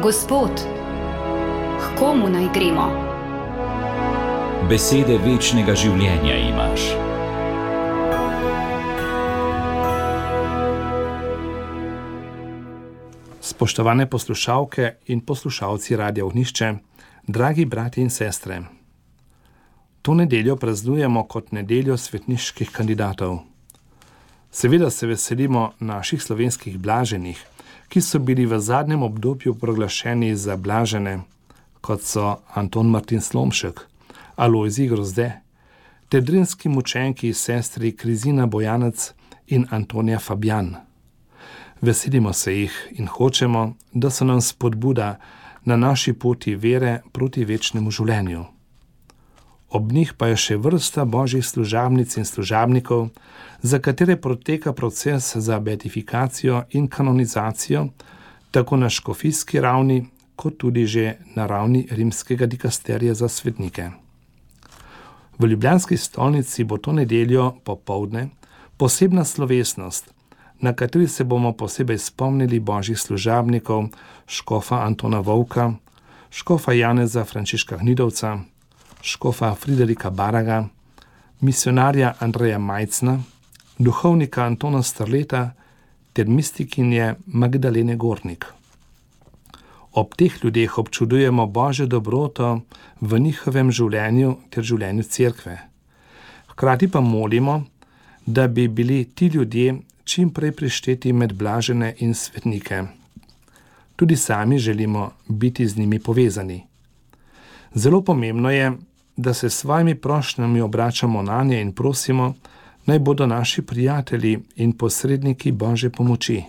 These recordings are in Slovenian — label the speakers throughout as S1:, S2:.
S1: Gospod, k komu naj gremo?
S2: Besede večnega življenja imaš.
S3: Spoštovane poslušalke in poslušalci Radia Ognjišče, dragi brati in sestre. To nedeljo praznujemo kot nedeljo svetniških kandidatov. Seveda se veselimo naših slovenskih blaženih, ki so bili v zadnjem obdobju proglašeni za blažene, kot so Anton Martin Slomšek, Alojzij Grozde, ter drinski mučenki sestri Krizina Bojanec in Antonija Fabjan. Veselimo se jih in hočemo, da so nam spodbuda na naši poti vere proti večnemu življenju. Ob njih pa je še vrsta božjih služabnic in služabnikov, za katere poteka proces za beatifikacijo in kanonizacijo, tako na škofijski ravni, kot tudi že na ravni rimskega dikasterija za svetnike. V ljubljanski stolnici bo to nedeljo popoldne posebna slovesnost, na kateri se bomo posebej spomnili božjih služabnikov, škofa Antona Vovka, škofa Janeza Frančiška Gnidovca, škofa Friderika Baraga, misionarja Andreja Majcna, duhovnika Antona Strleta ter mistikinje Magdalene Gornik. Ob teh ljudeh občudujemo božjo dobroto v njihovem življenju ter življenju cerkve. Hkrati pa molimo, da bi bili ti ljudje čim prej prišteti med blažene in svetnike. Tudi sami želimo biti z njimi povezani. Zelo pomembno je, da se s svojimi prošnjami obračamo nanje in prosimo, naj bodo naši prijatelji in posredniki božje pomoči.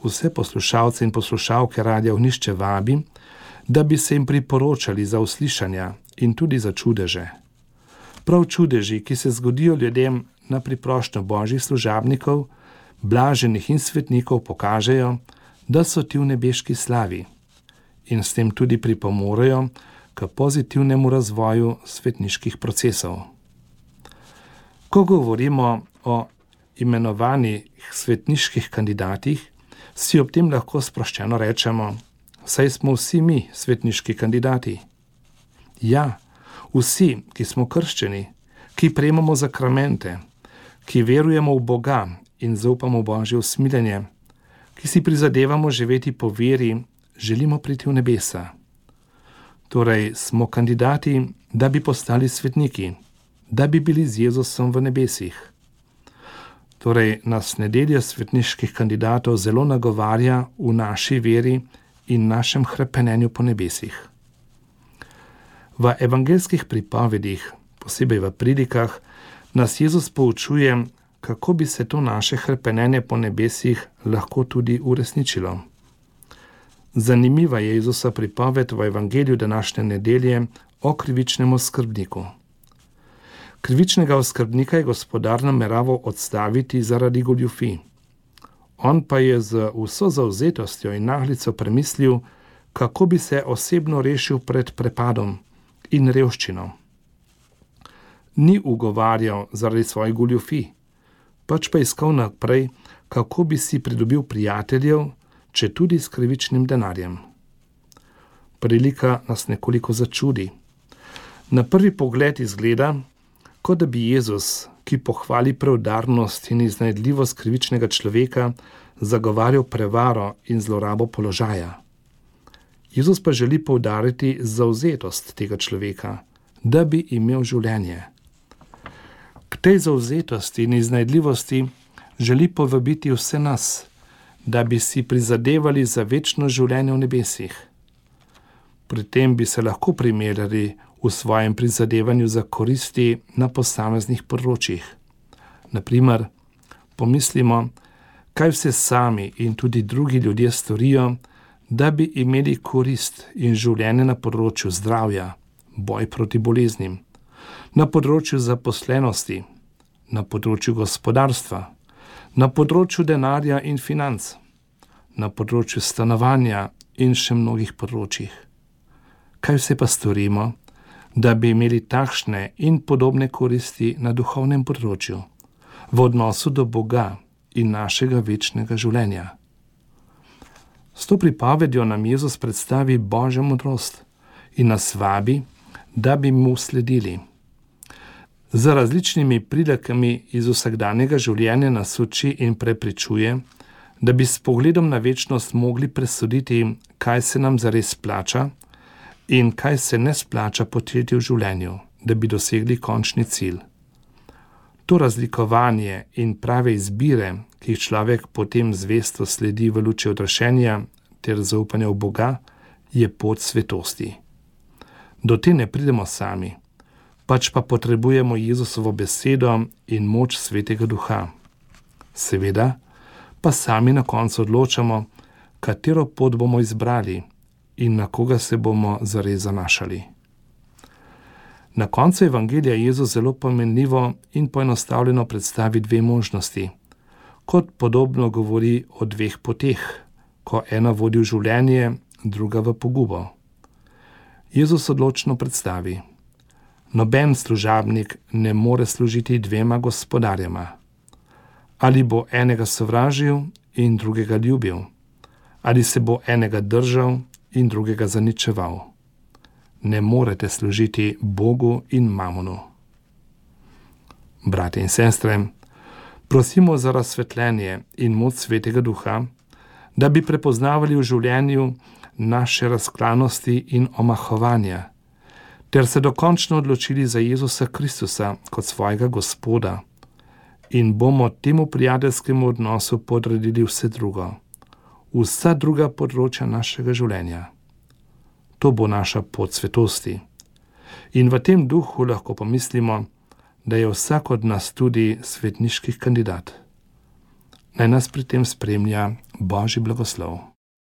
S3: Vse poslušalce in poslušalke Radia Ognjišče vabim, da bi se jim priporočali za uslišanja in tudi za čudeže. Prav čudeži, ki se zgodijo ljudem na priprošnjo božjih služabnikov, blaženih in svetnikov, pokažejo, da so ti v nebeški slavi in s tem tudi pripomorejo k pozitivnemu razvoju svetniških procesov. Ko govorimo o imenovanih svetniških kandidatih, si ob tem lahko sproščeno rečemo, saj smo vsi mi svetniški kandidati. Ja, vsi, ki smo krščeni, ki prejemamo zakramente, ki verujemo v Boga in zaupamo v božje usmiljenje, ki si prizadevamo živeti po veri, želimo priti v nebesa. Torej smo kandidati, da bi postali svetniki, da bi bili z Jezusom v nebesih. Torej nas nedelja svetniških kandidatov zelo nagovarja v naši veri in našem hrepenenju po nebesih. V evangeljskih pripovedih, posebej v pridikah, nas Jezus poučuje, kako bi se to naše hrepenenje po nebesih lahko tudi uresničilo. Zanimiva je Jezusa pripoved v evangeliju današnje nedelje o krivičnem oskrbniku. Krivičnega oskrbnika je gospodar nameraval odstaviti zaradi goljufij. On pa je z vso zavzetostjo in naglico premislil, kako bi se osebno rešil pred prepadom in revščino. Ni ugovarjal zaradi svojih goljufij, pač pa iskal naprej, kako bi si pridobil prijateljev, če tudi s krivičnim denarjem. Prilika nas nekoliko začudi. Na prvi pogled izgleda, kot da bi Jezus, ki pohvali preudarnost in iznajdljivost krivičnega človeka, zagovarjal prevaro in zlorabo položaja. Jezus pa želi poudariti zavzetost tega človeka, da bi imel življenje. K tej zavzetosti in iznajdljivosti želi povabiti vse nas, da bi si prizadevali za večno življenje v nebesih. Pri tem bi se lahko primerjali v svojem prizadevanju za koristi na posameznih področjih. Naprimer, pomislimo, kaj vse sami in tudi drugi ljudje storijo, da bi imeli korist in življenje na področju zdravja, boj proti boleznim, na področju zaposlenosti, na področju gospodarstva, na področju denarja in financ, na področju stanovanja in še mnogih področjih. Kaj vse pa storimo, da bi imeli takšne in podobne koristi na duhovnem področju, v odnosu do Boga in našega večnega življenja? S to pripovedjo nam Jezus predstavi Božjo modrost in nas vabi, da bi mu sledili. Z različnimi prilekami iz vsakdanjega življenja nas uči in prepričuje, da bi s pogledom na večnost mogli presoditi, kaj se nam zares splača in kaj se ne splača početi v življenju, da bi dosegli končni cilj. To razlikovanje in prave izbire, ki jih človek potem zvesto sledi v luči odrešenja ter zaupanja v Boga, je pot svetosti. Do te ne pridemo sami, pač pa potrebujemo Jezusovo besedo in moč Svetega Duha. Seveda pa sami na koncu odločamo, katero pot bomo izbrali in na koga se bomo zares zanašali. Na koncu evangelija Jezus zelo pomenljivo in poenostavljeno predstavi dve možnosti, kot podobno govori o dveh poteh, ko ena vodi v življenje, druga v pogubo. Jezus odločno predstavi: noben služabnik ne more služiti dvema gospodarjema. Ali bo enega sovražil in drugega ljubil, ali se bo enega držal in drugega zaničeval. Ne morete služiti Bogu in mamonu. Brate in sestre, prosimo za razsvetljenje in moč Svetega Duha, da bi prepoznavali v življenju naše razklanosti in omahovanja, ter se dokončno odločili za Jezusa Kristusa kot svojega Gospoda in bomo temu prijateljskemu odnosu podredili vse drugo, vsa druga področja našega življenja. To bo naša pot svetosti. In v tem duhu lahko pomislimo, da je vsak od nas tudi svetniški kandidat. Naj nas pri tem spremlja Božji blagoslov.